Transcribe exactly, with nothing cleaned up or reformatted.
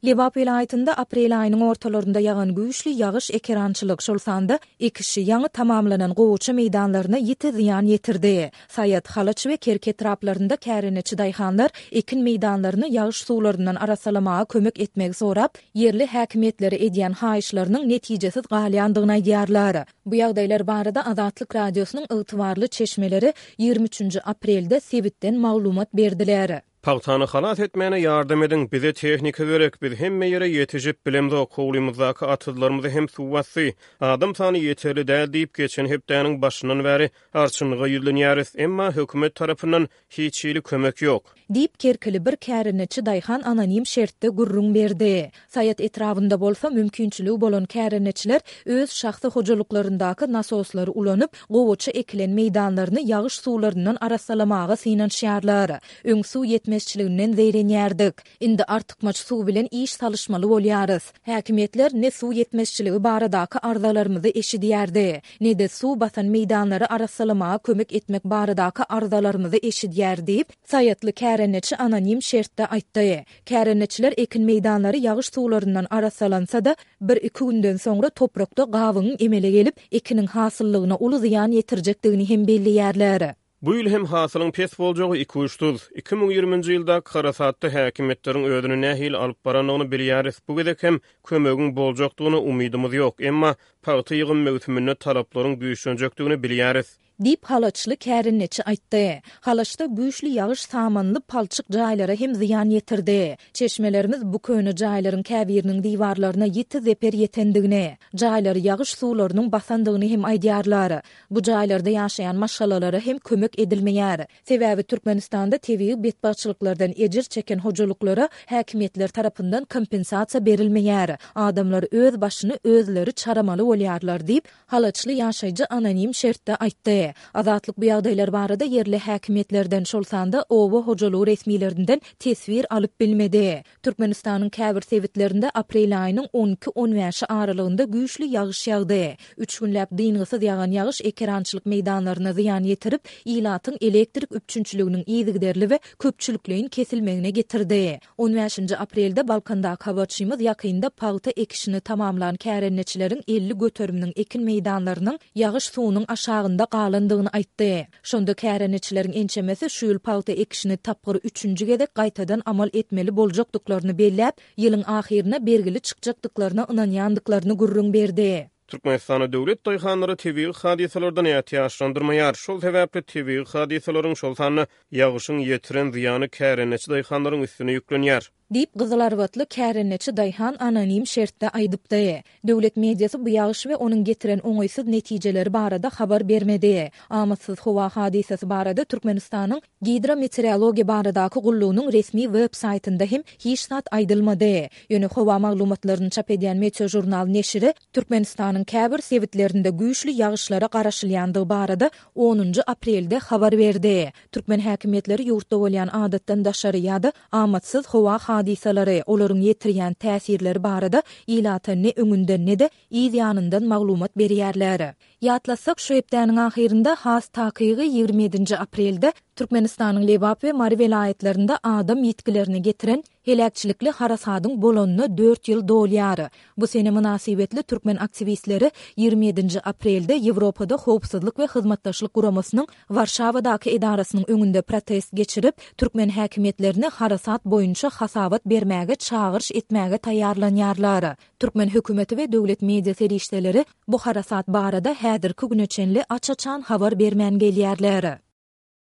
Lebap welaýatynda aprel aýynyň ortalarynda ýagan güýçli ýagyş ekerançylyk, şol sanda ekişi ýaňy tamamlanan gowaça meýdanlaryna ýiti zyýan ýetirdi. Saýat, Halaç we Kerki etraplarynda kärendeçi daýhanlar ekin meýdanlaryny ýagyş suwlaryndan arassalamaga kömek etmegi sorap, ýerli häkimiýetlere edýän haýyşlarynyň netijesiz galýandygyny aýdýarlar. Bu ýagdaýlar barada Azatlyk Radiosynyň ygtybarly çeşmeleri ýigrimi üçünji aprelde sebitden maglumat berdiler. Pagtany halas etmäne ýardam ediň, bize tehnika gerek, biz hemme ýere ýetişip bilemzok, howlymyzdaky atyzlarymyzy hem suw basdy, adam sany ýeterli däl diýip, geçen hepdäniň başyndan bäri arçynlyga ýüzlenýäris, emma hökümet tarapyndan hiç hili kömek ýok. Diýip, kerkili bir kärendeçi daýhan anonim şertde gürrüň berdi. Saýat etrabynda bolsa mümkinçiligi bolan kärendeçiler öz şahsy hojalyklaryndaky nasoslary ulanyp, gowaça ekilen meýdanlaryny ýagyş suwlaryndan arassalamaga synanyşýarlar. Öň suw ýetmezçiliginden zeýrenýärdik. Indi artykmaç suw bilen iş salyşmaly bolýarys. Häkimiýetler ne suw ýetmezçiligi baradaky arzalarymyzy eşidýärdi, ne-de suw basan meýdanlary arassalamaga kömek etmek baradaky arzalarymyzy eşidýär diýip, saýatly kärendeçi anonim şertde aýtdy. Kärendeçiler ekin meýdanlary ýagyş suwlaryndan arassalansa-da, bir-iki günden soňra toprakda gabygyň emele gelip, ekiniň hasyllygyna uly zyýan ýetirjekdigini hem belleýärler. Bu ýyl hem hasylyň pes boljagy ikuçsuz. Iki müň ýigriminji ýyldaky harasatda häkimiýetleriň özüni nähili alyp barandygyny bilýäris. Bu gezek hem kömegiň boljakdygyna umydymyz ýok. Emma pagta ýygym möwsüminde talaplaryň güýçlenjekdigini bilýäris. Diýip, halaçly kärendeçi aýtdy. Halaçda güýçli ýagyş samanly palçyk jaýlara hem zyýan ýetirdi. Çeşmelerimiz bu köne jaýlaryň käbiriniň diwarlaryna ýiti zeper ýetendigini, jaýlary ýagyş suwlarynyň basandygyny hem aýdýarlar. Bu jaýlarda ýaşaýan maşgalalara hem kömek edilmeýär. Sebäbi Türkmenistanda tebigy betbagtçylyklardan ejir çeken hojalyklara häkimiýetler tarapyndan kompensasiýa berilmeýär. Adamlar öz başyny özleri çaramaly bolýarlar diýip, halaçly ýaşaýjy anonim şertde aýtdy. Azatlyk bu ýagdaýlar barada ýerli häkimiýetlerden, şol sanda oba hojalygy resmilerinden teswir alyp bilmedi. Türkmenistanyň käbir sebitlerinde aprel aýynyň on iki-on bäşi aralygynda güýçli ýagyş ýagdy. Üç günläp dyngysyz ýagan ýagyş ekerançylyk meýdanlaryna zyýan ýetirip, ilatyň elektrik üpjünçiliginiň yzygiderli we köpçülikleýin kesilmegine getirdi. On bäşinji aprelde Balkandaky habarçymyz ýakynda pagta ekişini tamamlan kärendeçileriň elli göteriminiň ekin meýdanlarynyň ýagyş suwunyň aşagynda galandygyny aýtdy. Şonda kärendeçileriň ençemesi şu ýyl pagta ekişini tapgyr üçünji gezek gaýtadan amal etmeli boljakdyklaryny belläp, ýylyň ahyryna bergili çykjakdyklaryna ynanýandyklaryny gürrüň berdi. Türkmenistanda döwlet daýhanlary tebigy hadysalardan ätiýaçlandyrmaýar. Şol sebäpli tebigy hadysalaryň, şol sanda ýagyşyň ýetiren zyýany kärendeçi daýhanlaryň üstüne ýüklenýär. Diýip, gyzylarbatly kärendeçi daýhan anonim şertde aýdypdy. Döwlet mediasy bu ýagyş we onuň getiren oňaýsyz netijeleri barada habar bermedi. Amatsyz howa hadysasy barada Türkmenistanyň Gidrometeorologiýa baradaky gullugynyň resmi web saýtynda hem hiç zat aýdylmady. Ýöne howa maglumatlaryny çap edýän Meteožurnal neşiri Türkmenistanyň käbir sebitlerinde güýçli ýagyşlara garaşylýandygy barada onunjy aprelde habar berdi. Türkmen häkimiýetleri ýurtda bolýan adatdan daşary ýa-da amatsyz howa hadysalary, olaryň ýetirýän täsirleri barada ilata ne öňünden ne-de yz ýanyndan maglumat berýärler. Ýatlasak, şu hepdäniň ahyrynda, has takygy ýigrimi ýedinji aprelde Türkmenistanyň Lebap we Mary welaýatlarynda adam ýitgilerini getiren heläkçilikli harasadyň bolanyna dört ýyl dolýar. Bu sene mynasybetli türkmen aktiwistleri ýigrimi ýedinji aprelde Ýewropada Howpsuzlyk we Hyzmatdaşlyk Guramasynyň Warşawadaky edarasynyň öňünde protest geçirip, türkmen häkimiýetlerine harasat boýunça hasabat bermäge çagyryş etmäge taýýarlanýarlar. Türkmen hökümeti we döwlet media serişdeleri bu harasat barada häzirki güne çenli aç-açan habar bermän gelýärler.